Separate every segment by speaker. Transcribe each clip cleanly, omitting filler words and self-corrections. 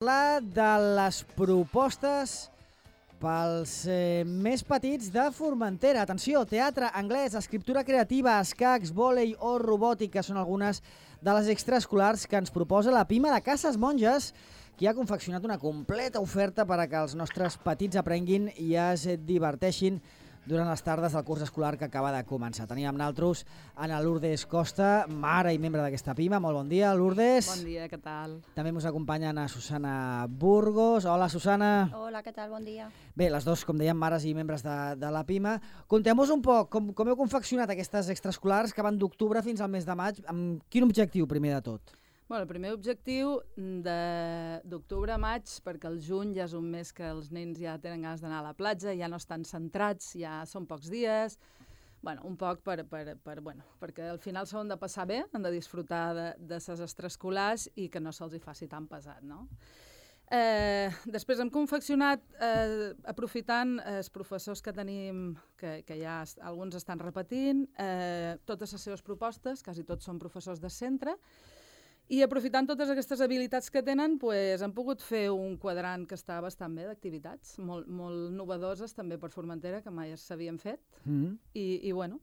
Speaker 1: Parlar de les propostes pels més petits de Formentera. Atenció, teatre, anglès, escriptura creativa, escacs, vòlei o robòtica són algunes de les extraescolars que ens proposa la Pima de Cases Monges, que ha confeccionat una completa oferta per a que els nostres petits aprenguin i es diverteixin durant les tardes del curs escolar que acaba de començar. Tenim amb nosaltres Ana Lourdes Costa, mare i membre d'aquesta Pima. Molt bon dia, Lourdes.
Speaker 2: Bon dia, què tal?
Speaker 1: També ens acompanyen a Susana Burgos. Hola, Susana.
Speaker 3: Hola, què tal? Bon dia.
Speaker 1: Bé, les dos, com dèiem, mares i membres de la Pima. Conteu-nos un poc com heu confeccionat aquestes extraescolars que van d'octubre fins al mes de maig. Amb quin objectiu, primer de tot?
Speaker 2: Bueno, el primer objectiu d'octubre a maig, perquè el juny ja és un mes que els nens ja tenen ganes d'anar a la platja, ja no estan centrats, ja són pocs dies. Bueno, un poc perquè al final s'han de passar bé, han de disfrutar de ses extraescolars i que no se'ls hi faci tan pesat, no? Després hem confeccionat, aprofitant els professors que tenim, que ja alguns estan repetint, totes les seves propostes, quasi tots són professors de centre, i aprofitant totes aquestes habilitats que tenen, hem pogut fer un quadrant que està bastant bé d'activitats, molt novedoses també per Formentera, que mai s'havien fet. I bueno,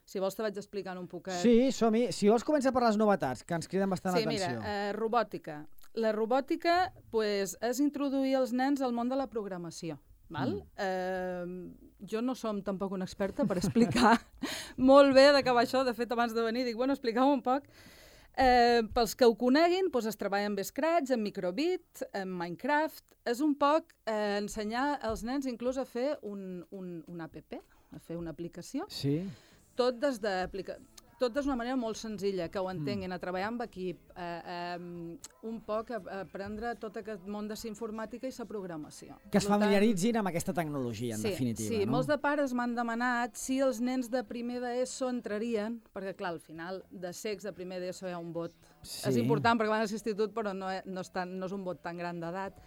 Speaker 2: si vols te vaig explicant un poquet.
Speaker 1: Sí, som-hi. Si vols començar per les novetats, que ens criden bastant l'atenció.
Speaker 2: Sí, mira, robòtica. La robòtica és introduir els nens al món de la programació. Jo no som tampoc una experta per explicar molt bé de què va això. De fet, abans de venir dic, bueno, expliqueu un poc. Pels que ho coneguin, es treballa amb Scratch, amb Microbit, amb Minecraft. És un poc ensenyar als nens inclús a fer un app, a fer una aplicació.
Speaker 1: Sí.
Speaker 2: Tot d'una manera molt senzilla, que ho entenguin, a treballar amb equip, un poc a aprendre tot aquest món de la informàtica i la programació.
Speaker 1: Que es familiaritzin amb aquesta tecnologia, en definitiva.
Speaker 2: Sí, molts de pares m'han demanat si els nens de primer d'ESO entrarien, perquè clar, al final de secs de primer d'ESO hi ha un vot. És important perquè van a l'institut, però no és un vot tan gran d'edat.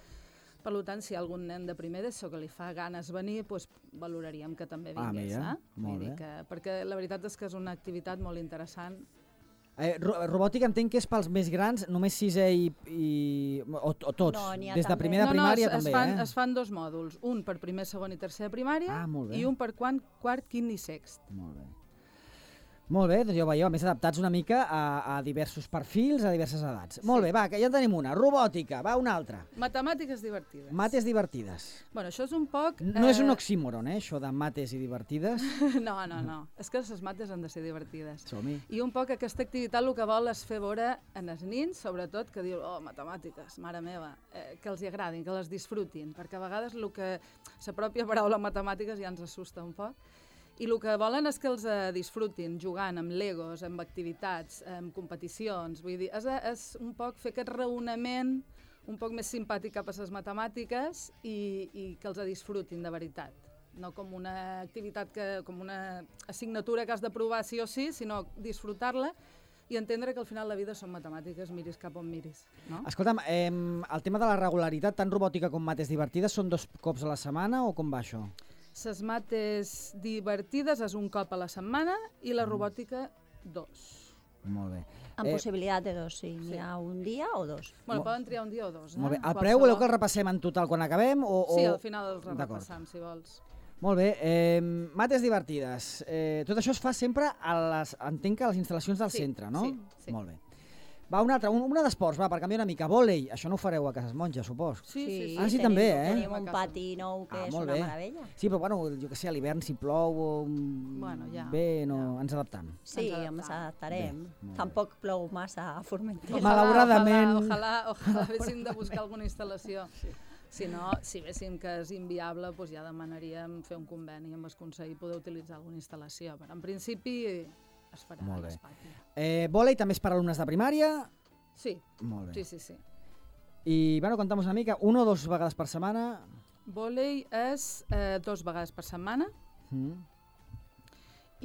Speaker 2: Per tant, si hi ha algun nen de primer d'ESO que li fa ganes venir, valoraríem que també vingués.
Speaker 1: Molt bé.
Speaker 2: Perquè la veritat és que és una activitat molt interessant.
Speaker 1: Robòtica entenc que és pels més grans, només sisè o tots?
Speaker 3: No, n'hi ha
Speaker 1: des de primer de primària també,
Speaker 2: es fan dos mòduls, un per primer, segon i tercer de primària i un per quart, quint i sext.
Speaker 1: Molt bé. Molt bé, doncs ja ho veieu, a més adaptats una mica a diversos perfils, a diverses edats. Molt bé, va, que ja en tenim una. Robòtica, va, una altra.
Speaker 2: Matemàtiques divertides.
Speaker 1: Mates divertides.
Speaker 2: Bueno, això és un poc...
Speaker 1: No és un oxímoron, això de mates i divertides.
Speaker 2: No. És que les mates han de ser divertides.
Speaker 1: Som-hi.
Speaker 2: I un poc aquesta activitat el que vol és fer veure en els nins, sobretot, que diu, matemàtiques, mare meva, que els hi agradin, que les disfrutin, perquè a vegades la pròpia paraula matemàtiques ja ens assusta un poc. I el que volen és que els disfrutin jugant amb legos, amb activitats, amb competicions. Vull dir, és un poc fer aquest raonament un poc més simpàtic cap a les matemàtiques i que els disfrutin de veritat. No com una activitat, com una assignatura que has de provar sí o sí, sinó disfrutar-la i entendre que al final la vida són matemàtiques, miris cap on miris. No?
Speaker 1: Escolta'm, el tema de la regularitat, tant robòtica com mates divertides, són 2 cops a la setmana o com va això?
Speaker 2: Les mates divertides és un cop a la setmana i la robòtica 2.
Speaker 1: Molt bé.
Speaker 3: Amb possibilitat de 2, sí. N'hi ha un dia o 2.
Speaker 2: Bueno, poden triar un dia o 2.
Speaker 1: Molt bé. El preu voleu que el repassem en total quan acabem?
Speaker 2: Sí, al final el repassam, si vols.
Speaker 1: Molt bé. Mates divertides. Tot això es fa sempre entenc que a les instal·lacions del centre, no?
Speaker 2: Sí.
Speaker 1: Molt bé. Va, una altra, una d'esports, va, per canviar una mica. Vòlei, això no ho fareu a Cases Monges, supos.
Speaker 2: Sí.
Speaker 1: Ah, sí, també,
Speaker 3: Tenim un pati nou que és una meravella.
Speaker 1: Sí, però bueno, jo que sé, a l'hivern si plou o ens adaptam.
Speaker 3: Sí, ens adaptarem. Tampoc plou massa a Formentera.
Speaker 1: Malauradament.
Speaker 2: Ojalà haguéssim de buscar alguna instal·lació. Si no, si véssim que és inviable, ja demanaríem fer un conveni amb el Consell i poder utilitzar alguna instal·lació. Però en principi es farà a l'espati.
Speaker 1: Vòlei també és per alumnes de primària?
Speaker 2: Sí.
Speaker 1: Molt bé.
Speaker 2: Sí.
Speaker 1: I, bueno, conta'm-nos una mica, 1 o 2 vegades per setmana?
Speaker 2: Vòlei és 2 vegades per setmana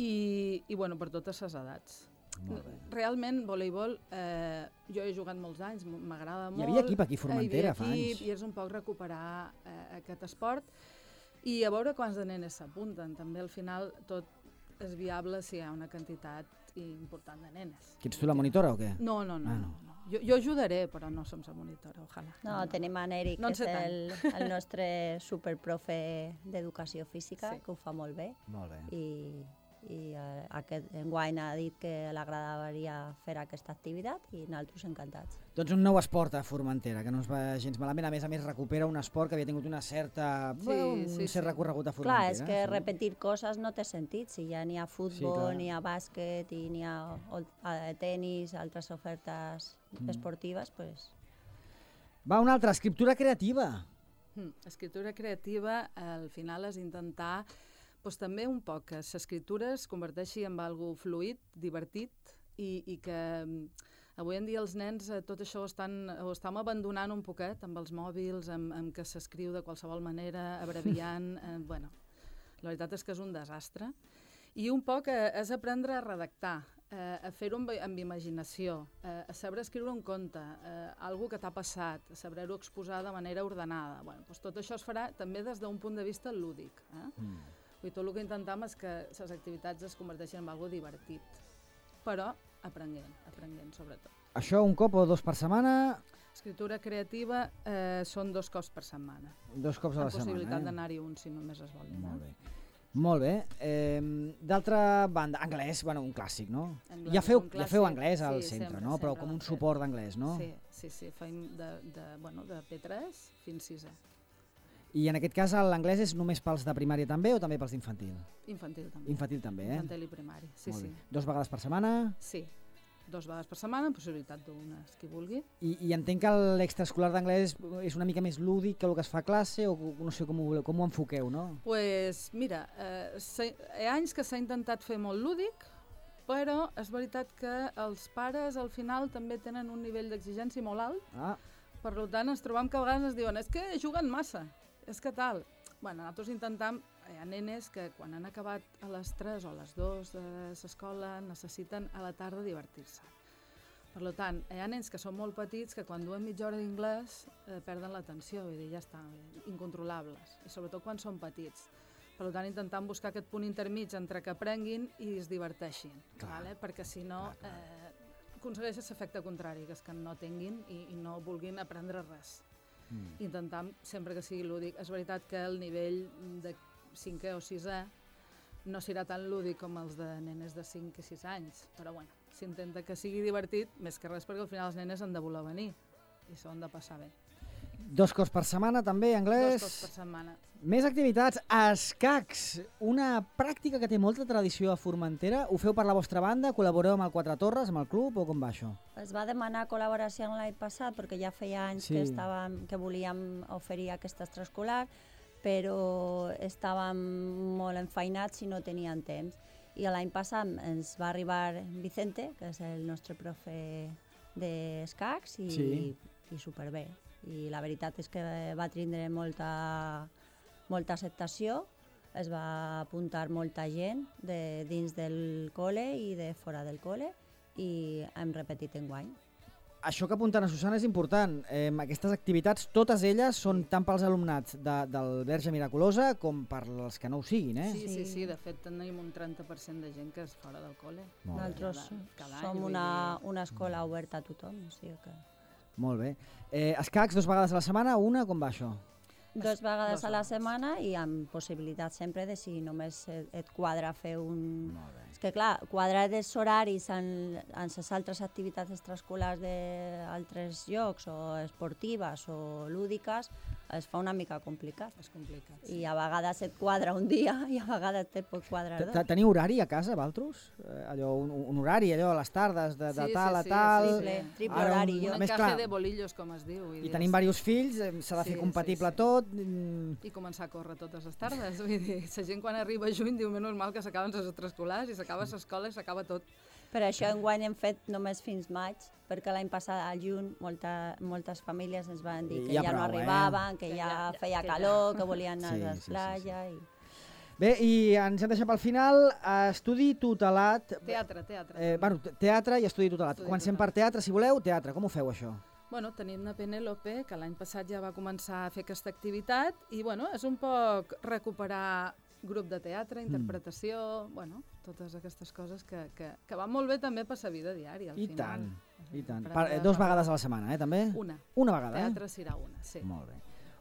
Speaker 2: i bueno, per totes les edats. Realment, voleibol, jo he jugat molts anys, m'agrada molt.
Speaker 1: Hi havia equip aquí a Formentera fa anys.
Speaker 2: I és un poc recuperar aquest esport i a veure quants de nenes s'apunten. També al final tot és viable si hi ha una quantitat important de nenes.
Speaker 1: Que ets tu la monitora o què?
Speaker 2: No. Jo ajudaré, però no som la monitora, ojalà.
Speaker 3: No, tenim en Eric,
Speaker 2: No en
Speaker 3: que
Speaker 2: sé
Speaker 3: és el nostre superprofe d'educació física,
Speaker 2: Sí.
Speaker 3: que ho fa molt bé.
Speaker 1: Molt bé.
Speaker 3: I aquest enguany ha dit que l'agradaria fer aquesta activitat i nosaltres encantats.
Speaker 1: Doncs un nou esport a Formentera, que no ens va gens malament. A més, recupera un esport que havia tingut una certa, un cert recorregut a Formentera.
Speaker 3: Clar, és que repetir coses no té sentit. Si ja n'hi ha futbol, n'hi ha bàsquet i n'hi ha tenis, altres ofertes esportives, doncs...
Speaker 1: Va, una altra, escriptura creativa.
Speaker 2: Escriptura creativa, al final, és intentar també un poc que l'escriptura es converteixi en algo fluid, divertit, i que avui en dia els nens tot això ho estem abandonant un poquet amb els mòbils, amb que s'escriu de qualsevol manera, abreviant... Bueno, la veritat és que és un desastre. I un poc és aprendre a redactar, a fer-ho amb imaginació, a saber escriure un conte, algo que t'ha passat, a saber-ho exposar de manera ordenada. Bueno, doncs tot això es farà també des d'un punt de vista lúdic. Tot el que intentem és que les activitats es converteixin en algo divertit, però aprenent sobretot.
Speaker 1: Això un cop o 2 per setmana?
Speaker 2: Escriptura creativa són 2 cops per setmana.
Speaker 1: 2 cops a la setmana.
Speaker 2: Amb possibilitat d'anar-hi un, si només es vol.
Speaker 1: Molt bé. Molt bé. D'altra banda, anglès, bueno, un clàssic, no? Ja feu anglès al centre, no? Però com un suport d'anglès, no?
Speaker 2: Sí, fem de P3 fins 6è.
Speaker 1: I en aquest cas l'anglès és només pels de primària també o també pels d'infantil?
Speaker 2: Infantil també.
Speaker 1: Infantil també,
Speaker 2: Infantil i primari, sí.
Speaker 1: 2 vegades per setmana?
Speaker 2: Sí, 2 vegades per setmana, amb possibilitat d'una, qui vulgui.
Speaker 1: I entenc que l'extraescolar d'anglès és una mica més lúdic que el que es fa a classe, o no sé com ho enfoqueu, no?
Speaker 2: Doncs mira, hi ha anys que s'ha intentat fer molt lúdic, però és veritat que els pares al final també tenen un nivell d'exigència molt alt, per tant ens trobam que a vegades ens diuen és que juguen massa, és que tal. Bueno, nosaltres intentem, hi ha nenes que quan han acabat a les 3 o a les 2 de l'escola necessiten a la tarda divertir-se. Per tant, hi ha nens que són molt petits que quan duen mitja hora d'inglès perden l'atenció, vull dir, ja està, incontrolables, i sobretot quan són petits. Per tant, intentem buscar aquest punt intermig entre que aprenguin i es diverteixin, perquè si no aconsegueixes l'efecte contrari, que és que no tinguin i no vulguin aprendre res. Intentam sempre que sigui lúdic. És veritat que el nivell de 5è o 6è no serà tan lúdic com els de nenes de 5 i 6 anys, però bueno, s'intenta que sigui divertit, més que res perquè al final els nenes han de voler venir i s'ho han de passar bé.
Speaker 1: 2 cops per setmana també, anglès?
Speaker 2: 2 cops per setmana.
Speaker 1: Més activitats. Escacs, una pràctica que té molta tradició a Formentera. Ho feu per la vostra banda? Col·laboreu amb el Quatre Torres, amb el club, o com va això?
Speaker 3: Es va demanar col·laboració l'any passat perquè ja feia anys que volíem oferir aquest extraescolar, però estàvem molt enfeinats i no teníem temps. I l'any passat ens va arribar Vicente, que és el nostre profe d'escacs, i superbé. I la veritat és que va tindre molta acceptació, es va apuntar molta gent de dins del col·le i de fora del col·le i hem repetit enguany.
Speaker 1: Això que apunten a Susana és important. Aquestes activitats, totes elles, són tant pels alumnats del Verge Miraculosa com per als que no ho siguin, eh?
Speaker 2: Sí, de fet tenim un 30% de gent que és fora del col·le.
Speaker 3: Nosaltres som una escola oberta a tothom, o sigui que...
Speaker 1: Molt bé. Escacs 2 vegades a la setmana, una, com va això?
Speaker 3: 2 vegades a la setmana i amb possibilitat sempre de si només et quadra fer un... És que clar, quadrar els horaris en les altres activitats extraescolars d'altres llocs o esportives o lúdiques es fa una mica complicat.
Speaker 2: És complicat.
Speaker 3: I a vegades et quadra un dia i a vegades te pot quadrar 2.
Speaker 1: Teniu horari a casa, vosaltres? Un horari, allò, a les tardes, de tal a tal...
Speaker 3: Triple horari.
Speaker 2: Un encaje de bolillos, com es diu.
Speaker 1: I tenim diversos fills, s'ha de fer compatible tot.
Speaker 2: I començar a córrer totes les tardes. Vull dir, la gent quan arriba a juny diu menys mal que s'acaben les extraescolars i s'acaba l'escola i s'acaba tot.
Speaker 3: Per això enguany hem fet només fins maig, perquè l'any passat al juny moltes famílies ens van dir que ja no arribaven, que ja feia calor, que volien anar a la platja.
Speaker 1: Bé, i ens hem deixat pel final estudi tutelat.
Speaker 2: Teatre.
Speaker 1: Teatre i estudi tutelat. Comencem per teatre, si voleu. Teatre, com ho feu això?
Speaker 2: Bueno, tenim una Penélope, que l'any passat ja va començar a fer aquesta activitat, i bueno, és un poc recuperar grup de teatre, interpretació, bueno, totes aquestes coses que van molt bé també per la vida diària, al final.
Speaker 1: I tant. I tant. Dos vegades a la setmana, també? Una vegada,
Speaker 2: Teatre serà una, sí.
Speaker 1: Molt bé.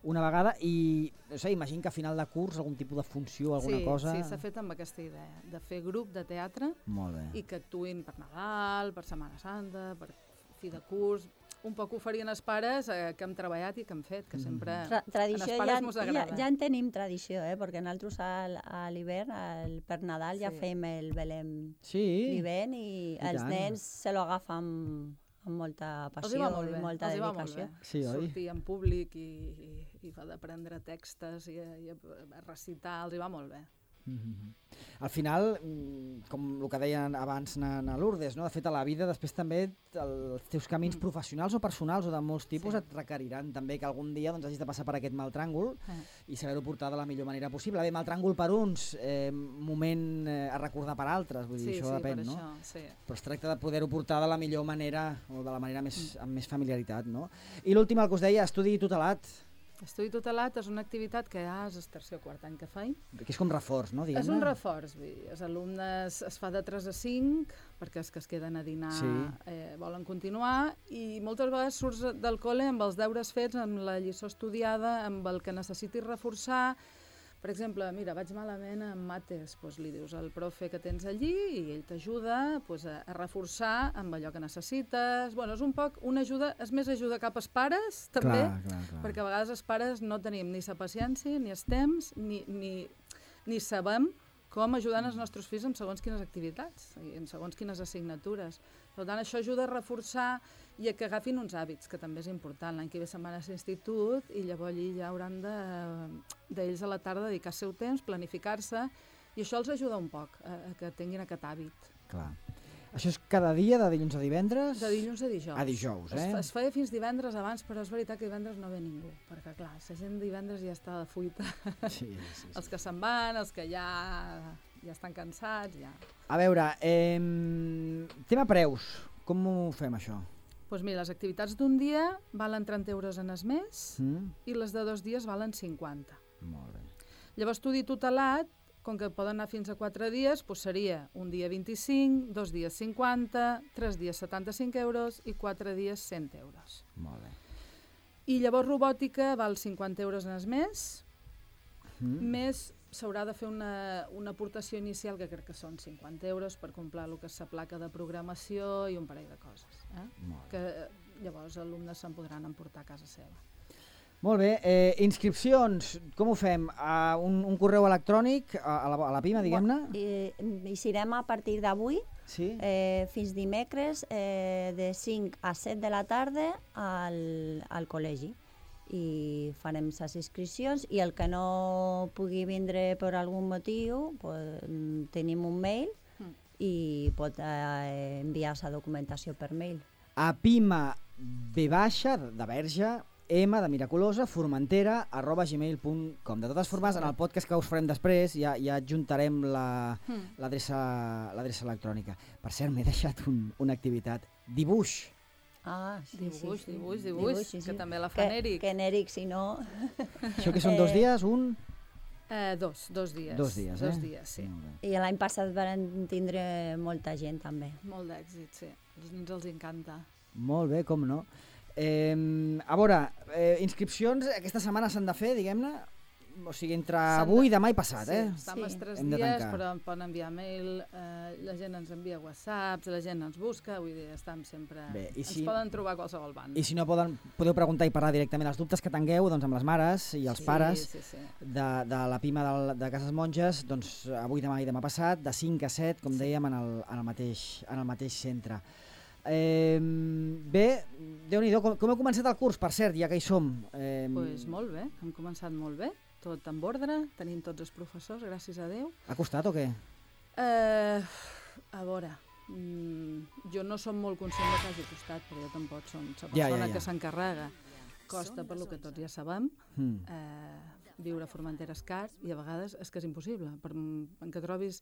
Speaker 1: Una vegada i, no sé, imagino que a final de curs algun tipus de funció, alguna cosa...
Speaker 2: Sí, s'ha fet amb aquesta idea, de fer grup de teatre i que actuïn per Nadal, per Setmana Santa, per fi de curs... Un poc ho farien els pares que hem treballat i que hem fet, que sempre als pares mos agrada.
Speaker 3: Ja en tenim tradició, perquè nosaltres a l'hivern, per Nadal, ja fem el Belém d'hivern i els nens se lo agafen amb molta passió i molta dedicació.
Speaker 2: Sortir en públic i va d'aprendre textos i a recitar, els hi va molt bé.
Speaker 1: Al final, com el que deien abans na Lourdes, de fet a la vida després també els teus camins professionals o personals o de molts tipus et requeriran també que algun dia hagis de passar per aquest mal tràngol i saber-ho portar de la millor manera possible. Bé, mal tràngol per uns, moment a recordar per altres, vull dir, això depèn, no? Però es tracta de poder-ho portar de la millor manera o de la manera amb més familiaritat, no? I l'últim, el que us deia, estudi tutelat.
Speaker 2: Estudi tutelat és una activitat que ja és el tercer o quart any que faig.
Speaker 1: Que és com reforç, no?
Speaker 2: És un reforç. Els alumnes es fa de 3 a 5 perquè els que es queden a dinar volen continuar i moltes vegades surts del col·le amb els deures fets, amb la lliçó estudiada, amb el que necessitis reforçar. Per exemple, mira, vaig malament en mates, doncs li dius al profe que tens allí i ell t'ajuda a reforçar amb allò que necessites. Bueno, és un poc una ajuda, és més ajuda cap als pares, també, perquè a vegades els pares no tenim ni la paciència, ni el temps, ni sabem com ajudar els nostres fills en segons quines activitats i en segons quines assignatures. Per tant, això ajuda a reforçar i a que agafin uns hàbits, que també és important. L'any que ve se'n van a l'institut i llavors allí ja hauran d'ells a la tarda dedicar el seu temps, planificar-se, i això els ajuda un poc a que tinguin aquest hàbit.
Speaker 1: Clar. Això és cada dia, de dilluns a divendres?
Speaker 2: De dilluns a dijous.
Speaker 1: A dijous,
Speaker 2: Es feia fins divendres abans, però és veritat que divendres no ve ningú, perquè clar, la gent divendres ja està de fuita. Sí. Els que se'n van, els que ja estan cansats, ja.
Speaker 1: A veure, tema preus, com ho fem això?
Speaker 2: Doncs mira, les activitats d'un dia valen 30 euros en el mes i les de 2 dies valen 50.
Speaker 1: Molt bé.
Speaker 2: Llavors, estudi tutelat, com que poden anar fins a 4 dies, doncs seria un dia 25, 2 dies 50, 3 dies 75 euros i 4 dies 100 euros.
Speaker 1: Molt bé.
Speaker 2: I llavors robòtica val 50 euros en el mes, més s'haurà de fer una aportació inicial que crec que són 50 euros per comprar el que és la placa de programació i un parell de coses. Que llavors els alumnes se'n podran emportar a casa seva.
Speaker 1: Molt bé, inscripcions, com ho fem? Un correu electrònic a la PIMA, diguem-ne?
Speaker 3: Hi serem a partir d'avui, fins dimecres, de 5 a 7 de la tarda al col·legi. I farem les inscripcions i el que no pugui vindre per algun motiu, tenim un mail i pot enviar la documentació per mail.
Speaker 1: A PIMA B baixa, de Verge, M de Miraculosa, Formentera, @gmail.com. De totes formes, en el podcast que us farem després ja adjuntarem l'adreça electrònica. Per cert, m'he deixat una activitat. Dibuix.
Speaker 2: Dibuix, que també la fa n'Eric.
Speaker 3: Que n'Eric, si no...
Speaker 1: Això que són 2 dies, un?
Speaker 2: 2 dies.
Speaker 1: 2 dies,
Speaker 2: 2 dies, sí.
Speaker 3: I l'any passat van tindre molta gent, també.
Speaker 2: Molt d'èxit, sí. Els nens els encanta.
Speaker 1: Molt bé, com no. A veure, inscripcions aquesta setmana s'han de fer, diguem-ne? O sigui, entre avui, demà i passat,
Speaker 2: estan els 3 dies, però em poden enviar mail, la gent ens envia whatsapps, la gent ens busca, vull dir, estem sempre... Ens poden trobar a qualsevol banda.
Speaker 1: I si no podeu preguntar i parlar directament els dubtes que tingueu amb les mares i els pares de la PIMA de Cases Monges, doncs avui, demà i demà passat, de 5 a 7, com dèiem, en el mateix centre. Bé, Déu-n'hi-do, com heu començat el curs, per cert, ja que hi som?
Speaker 2: Doncs molt bé, hem començat molt bé. Tot en ordre, tenim tots els professors, gràcies a Déu.
Speaker 1: Ha costat o què?
Speaker 2: A veure, jo no som molt conscient que hagi costat, però jo tampoc som la persona que s'encarrega. Costa per lo que tots ja sabem, viure a Formentera és car i a vegades és que és impossible. En què trobis,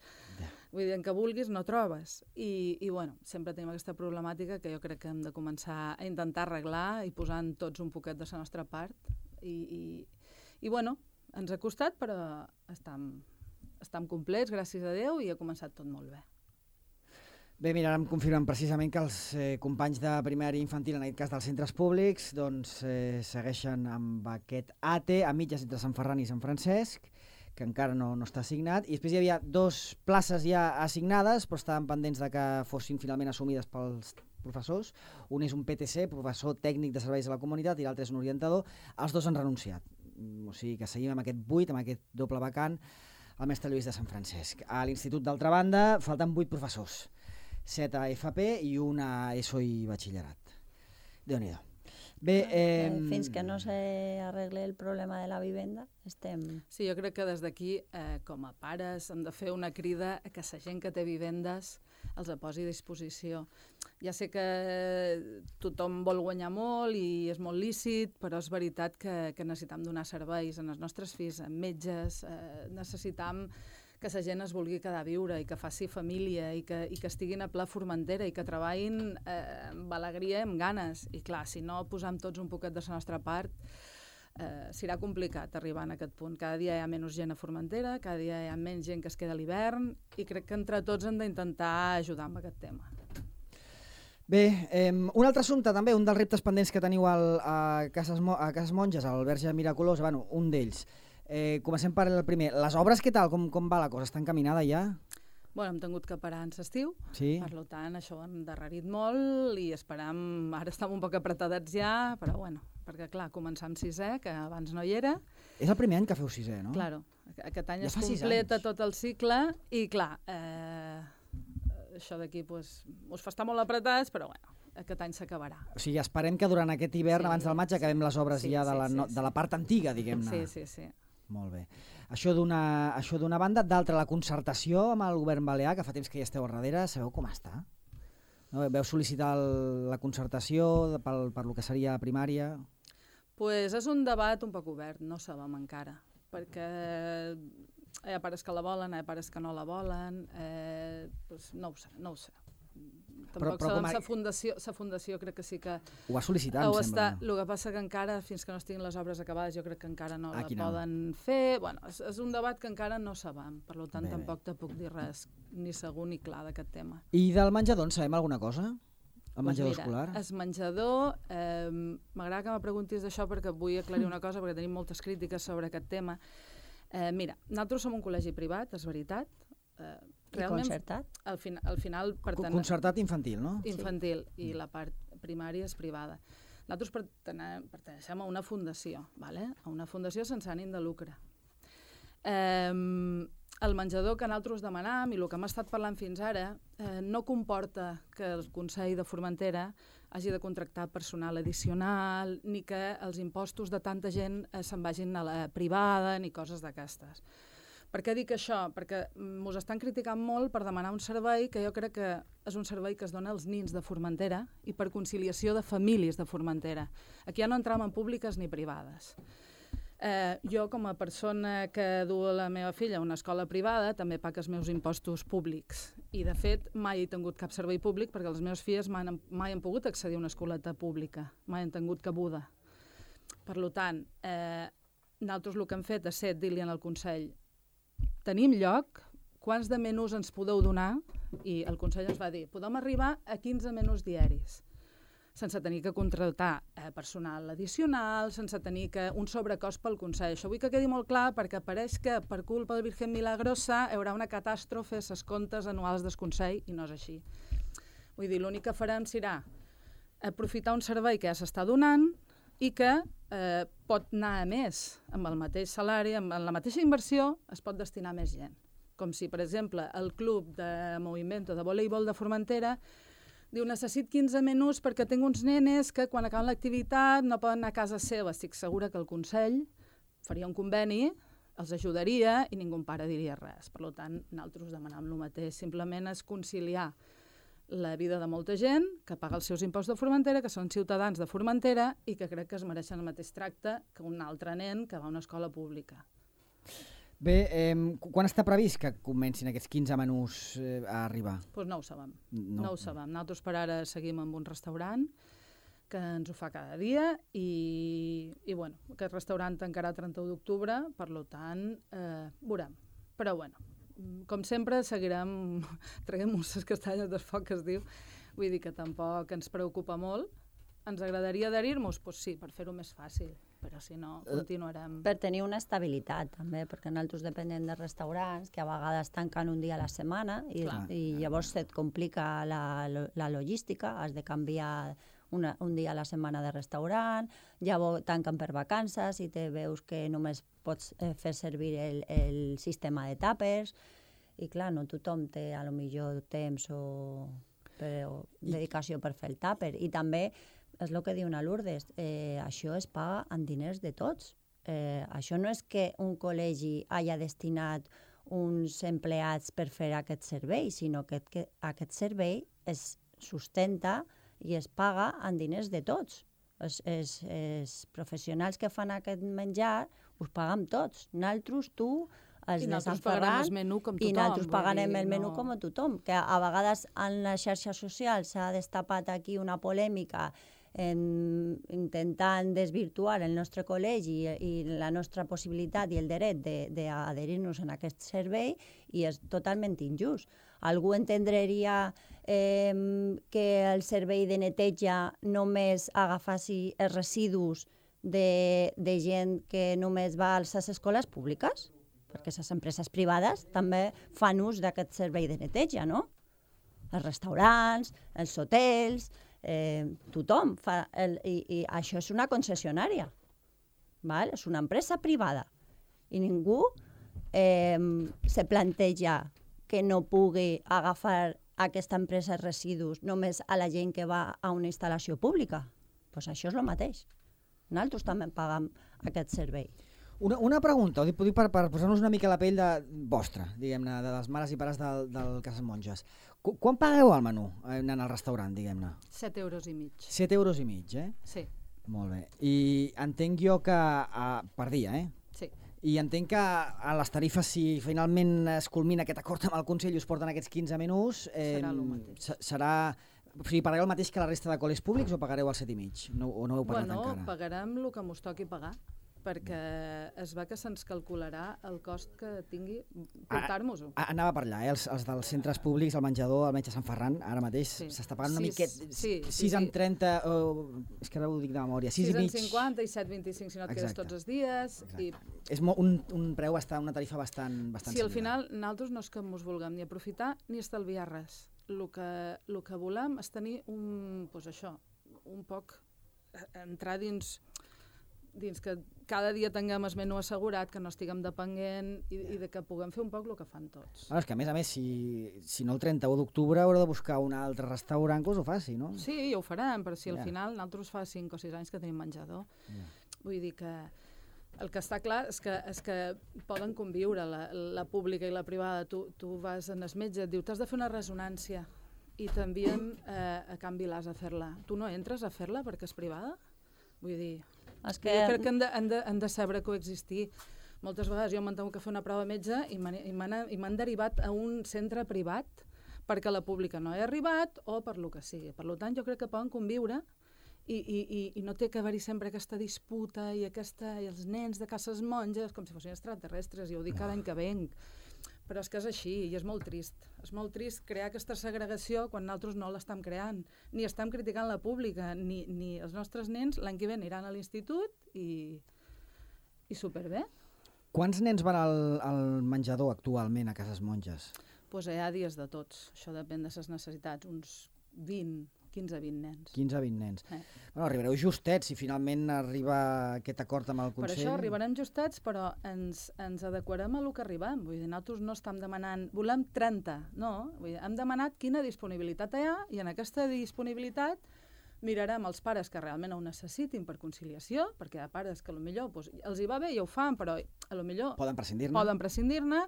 Speaker 2: vull dir, en què vulguis no trobes. I bueno, sempre tenim aquesta problemàtica que jo crec que hem de començar a intentar arreglar i posant tots un poquet de la nostra part. I bueno, ens ha costat, però estem complets, gràcies a Déu, i ha començat tot molt bé.
Speaker 1: Bé, mira, ara em confirmen precisament que els companys de primària infantil, en aquest cas dels centres públics, doncs segueixen amb aquest ATE a mitges entre Sant Ferran i Sant Francesc, que encara no està assignat, i després hi havia 2 places ja assignades, però estaven pendents de que fossin finalment assumides pels professors. Un és un PTC, professor tècnic de serveis a la comunitat, i l'altre és un orientador. Els 2 han renunciat. O sigui que seguim amb aquest buit, amb aquest doble vacant, al Mestre Lluís de Sant Francesc. A l'Institut, d'altra banda, falten 8 professors. 7 a FP i una a ESO i batxillerat. Déu-n'hi-do. Bé,
Speaker 3: fins que no s'arregle el problema de la vivenda, estem...
Speaker 2: Sí, jo crec que des d'aquí, com a pares, hem de fer una crida a que la gent que té vivendes els posi a disposició. Ja sé que tothom vol guanyar molt i és molt lícit, però és veritat que necessitam donar serveis als nostres fills, a metges, necessitam que la gent es vulgui quedar a viure i que faci família i que estiguin a Pla Formentera i que treballin amb alegria i amb ganes. I clar, si no posam tots un poquet de la nostra part, serà complicat arribar a aquest punt. Cada dia hi ha menys gent a Formentera, cada dia hi ha menys gent que es queda a l'hivern i crec que entre tots hem d'intentar ajudar amb aquest tema.
Speaker 1: Bé, un altre assumpte també, un dels reptes pendents que teniu a Cases Monges, al Verge Miraculós, bueno, un d'ells. Comencem per el primer. Les obres, què tal? Com va la cosa? Està encaminada ja?
Speaker 2: Bueno, hem tingut que parar en l'estiu,
Speaker 1: sí.
Speaker 2: Per tant, això ho hem endarrerit molt i esperam, ara estem un poc apretadets ja, però bueno, perquè clar, començar amb 6è, que abans no hi era.
Speaker 1: És el primer any que feu 6è, no?
Speaker 2: Claro, aquest any
Speaker 1: ja
Speaker 2: es completa tot el cicle i clar, això d'aquí pues, us fa estar molt apretats, però bueno, aquest any s'acabarà.
Speaker 1: O sigui, esperem que durant aquest hivern, abans del maig, acabem les obres ja de la part antiga, diguem-ne.
Speaker 2: Sí.
Speaker 1: Molt bé. Això d'una banda, d'altra, la concertació amb el govern balear, que fa temps que hi esteu a darrere, sabeu com està? No? Veu sol·licitar la concertació per lo que seria primària?
Speaker 2: Pues és un debat un poc obert, no sabem encara, perquè hi ha pares que la volen, hi ha pares que no la volen, pues no ho sé. Tampoc sabem, la fundació crec que sí que...
Speaker 1: Ho va sol·licitar, em sembla.
Speaker 2: El que passa que encara, fins que no estiguin les obres acabades, jo crec que encara no la poden fer. Bueno, és un debat que encara no sabem, per tant tampoc te puc dir res ni segur ni clar d'aquest tema.
Speaker 1: I del menjador en sabem alguna cosa? El menjador escolar?
Speaker 2: El menjador, m'agrada que me preguntis d'això perquè vull aclarir una cosa, perquè tenim moltes crítiques sobre aquest tema. Mira, nosaltres som un col·legi privat, és veritat.
Speaker 3: I concertat?
Speaker 2: Al final
Speaker 1: concertat infantil, no?
Speaker 2: Infantil, i la part primària és privada. Nosaltres pertaneixem a una fundació, a una fundació sense ànim de lucre. El menjador que nosaltres demanam i el que hem estat parlant fins ara no comporta que el Consell de Formentera hagi de contractar personal addicional ni que els impostos de tanta gent se'n vagin a la privada ni coses d'aquestes. Per què dic això? Perquè ens estan criticant molt per demanar un servei que jo crec que és un servei que es dona als nins de Formentera i per conciliació de famílies de Formentera. Aquí ja no entram en públiques ni privades. Jo, com a persona que du la meva filla a una escola privada, també pago els meus impostos públics. I, de fet, mai he tingut cap servei públic perquè les meves filles mai han pogut accedir a una escoleta pública, mai han tingut cabuda. Per tant, nosaltres el que hem fet és dir-li al Consell tenim lloc, quants de menús ens podeu donar? I el Consell ens va dir, podem arribar a 15 menús diaris, sense tenir que contractar personal addicional, sense tenir un sobrecost pel Consell. Això vull que quedi molt clar perquè pareix que per culpa del Virgen Milagrosa hi haurà una catàstrofe a les comptes anuals del Consell i no és així. Vull dir, l'únic que farem serà aprofitar un servei que ja s'està donant i que pot anar a més. Amb el mateix salari, amb la mateixa inversió, es pot destinar més gent. Com si, per exemple, el club de moviment de voleibol de Formentera diu, necessit 15 menús perquè tinc uns nenes que quan acaben l'activitat no poden anar a casa seva. Estic segura que el Consell faria un conveni, els ajudaria i ningú pare diria res. Per tant, nosaltres demanam el mateix. Simplement és conciliar la vida de molta gent que paga els seus impostos de Formentera, que són ciutadans de Formentera i que crec que es mereixen el mateix tracte que un altre nen que va a una escola pública.
Speaker 1: Bé, quan està previst que comencin aquests 15 menús a arribar?
Speaker 2: Doncs no ho sabem. No ho sabem. Nosaltres per ara seguim amb un restaurant que ens ho fa cada dia i bueno, aquest restaurant tancarà el 31 d'octubre, per tant, veurem. Però bueno, com sempre, seguirem traguem-nos les castanyes del foc, que es diu. Vull dir que tampoc ens preocupa molt. Ens agradaria adherir-nos? Doncs sí, per fer-ho més fàcil, però si no, continuarem.
Speaker 3: Per tenir una estabilitat, també, perquè nosaltres depenem de restaurants que a vegades tanquen un dia a la setmana i llavors se't complica la logística, has de canviar un dia a la setmana de restaurant, llavors tanquen per vacances i te veus que només pots fer servir el sistema de tàpers i clar, no tothom té a lo millor temps o dedicació per fer el tàper. I també és el que diu una Lourdes, això es paga amb diners de tots. Això no és que un col·legi hagi destinat uns empleats per fer aquest servei, sinó que aquest servei es sustenta i es paga amb diners de tots. Els professionals que fan aquest menjar us pagam tots. Nosaltres, tu, els de Sant Ferran, i nosaltres pagarem el menú com a tothom. Que a vegades en les xarxes socials s'ha destapat aquí una polèmica intentant desvirtuar el nostre col·legi i la nostra possibilitat i el dret d'adherir-nos a aquest servei i és totalment injust. Algú entendria que el servei de neteja només agafassi els residus de gent que només va a les escoles públiques? Perquè les empreses privades també fan ús d'aquest servei de neteja, no? Els restaurants, els hotels, tothom fa... I això és una concessionària, és una empresa privada. I ningú se planteja que no pugui agafar aquesta empresa residus només a la gent que va a una instal·lació pública. Doncs això és el mateix. Nosaltres també pagam aquest servei.
Speaker 1: Una pregunta, ho dic per posar-nos una mica la pell vostra, diguem-ne, de les mares i pares del Cases Monges. Quan pagueu el menú anant al restaurant, diguem-ne?
Speaker 2: 7,5 €.
Speaker 1: 7,5 €,
Speaker 2: Sí.
Speaker 1: Molt bé. I entenc jo que per dia,
Speaker 2: Sí.
Speaker 1: I entenc que a les tarifes, si finalment es culmina aquest acord amb el Consell i us porten aquests 15 menús,
Speaker 2: serà el mateix.
Speaker 1: O sigui, pagareu el mateix que la resta de col·legis públics o pagareu el 7,5 €? O no heu pagat encara?
Speaker 2: Bueno, pagarem el que mos toqui pagar, perquè es va que se'ns calcularà el cost que tingui portar-nos-ho.
Speaker 1: Anava per allà, els dels centres públics, el menjador, el metge Sant Ferran, ara mateix s'està pagant una miqueta, 6,30 €, és que ara ho dic de memòria, 6,5
Speaker 2: €, 6,50 i 7,25 si no et quedes tots els dies.
Speaker 1: És un preu, una tarifa bastant
Speaker 2: sí, al final nosaltres no és que ens vulguem ni aprofitar ni estalviar res. El que volem és tenir un poc entrar dins que cada dia tinguem el menú assegurat, que no estiguem depenent i que puguem fer un poc el que fan tots.
Speaker 1: És que a més, si no el 31 d'octubre haureu de buscar un altre restaurant que us ho faci, no?
Speaker 2: Sí, ja ho farem, però si al final nosaltres fa 5 o 6 anys que tenim menjador. Vull dir que el que està clar és que poden conviure la pública i la privada. Tu vas en el metge, et diu, t'has de fer una ressonància i t'envien a Can Vilàs a fer-la. Tu no entres a fer-la perquè és privada? Vull dir... Jo crec que han de saber coexistir. Moltes vegades jo m'han tingut que fer una prova de metge i m'han derivat a un centre privat perquè la pública no he arribat o per lo que sigui. Per tant, jo crec que poden conviure i no té que haver-hi sempre aquesta disputa i els nens de Cases Monges com si fossin extraterrestres, i ho dic cada any que venc. Però és que és així i és molt trist. És molt trist crear aquesta segregació quan nosaltres no l'estem creant. Ni estem criticant la pública, ni els nostres nens l'any que ve aniran a l'institut i superbé.
Speaker 1: Quants nens van al menjador actualment a Cases Monges?
Speaker 2: Doncs hi ha dies de tots. Això depèn de les necessitats. Uns 15-20 nens.
Speaker 1: 15-20 nens. Bueno, arribareu justets si finalment arriba aquest acord amb el Consell.
Speaker 2: Per això arribarem justets, però ens adequarem a lo que arribem. Vull dir, nosaltres no estem demanant, volem 30, no. Vull dir, hem demanat quina disponibilitat hi ha i en aquesta disponibilitat mirarem els pares que realment ho necessitin per conciliació, perquè hi ha pares que potser els hi va bé i ho fan, però potser
Speaker 1: poden prescindir-ne.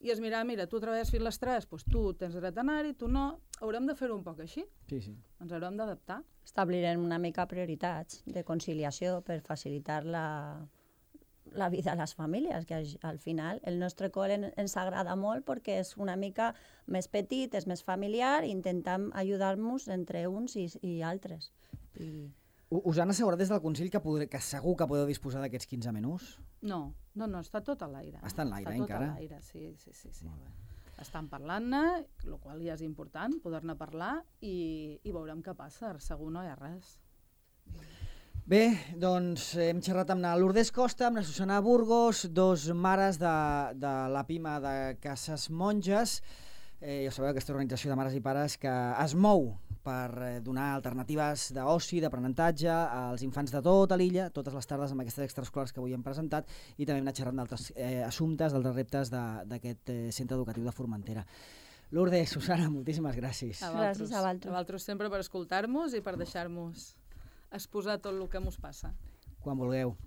Speaker 2: I es mira, tu treballes fins les 3, doncs tu tens dret a anar-hi, tu no. Haurem de fer-ho un poc així.
Speaker 1: Sí.
Speaker 2: Ens haurem d'adaptar.
Speaker 3: Establirem una mica prioritats de conciliació per facilitar la vida a les famílies, que al final el nostre col·le ens agrada molt perquè és una mica més petit, és més familiar, i intentem ajudar-nos entre uns i altres.
Speaker 1: Us han assegurat des del Consell que segur que podeu disposar d'aquests 15 menús?
Speaker 2: No, està tot a l'aire.
Speaker 1: Està en l'aire, encara?
Speaker 2: Està tot a l'aire, sí. estan parlant-ne, el qual ja és important, poder-ne parlar, i veurem què passa, segur no hi ha res.
Speaker 1: Bé, doncs hem xerrat amb la Lourdes Costa, amb la Susana Burgos, dos mares de la PIMA de Cases Monges. Ja sabeu, aquesta organització de mares i pares que es mou per donar alternatives d'oci, d'aprenentatge als infants de tota l'illa, totes les tardes amb aquestes extraescolars que avui hem presentat, i també hem anat xerrant d'altres assumptes, d'altres reptes d'aquest centre educatiu de Formentera. Lourdes, Susana, moltíssimes gràcies.
Speaker 3: Gràcies a vosaltres.
Speaker 2: A vosaltres sempre per escoltar-nos i per deixar-nos exposar tot el que ens passa.
Speaker 1: Quan vulgueu.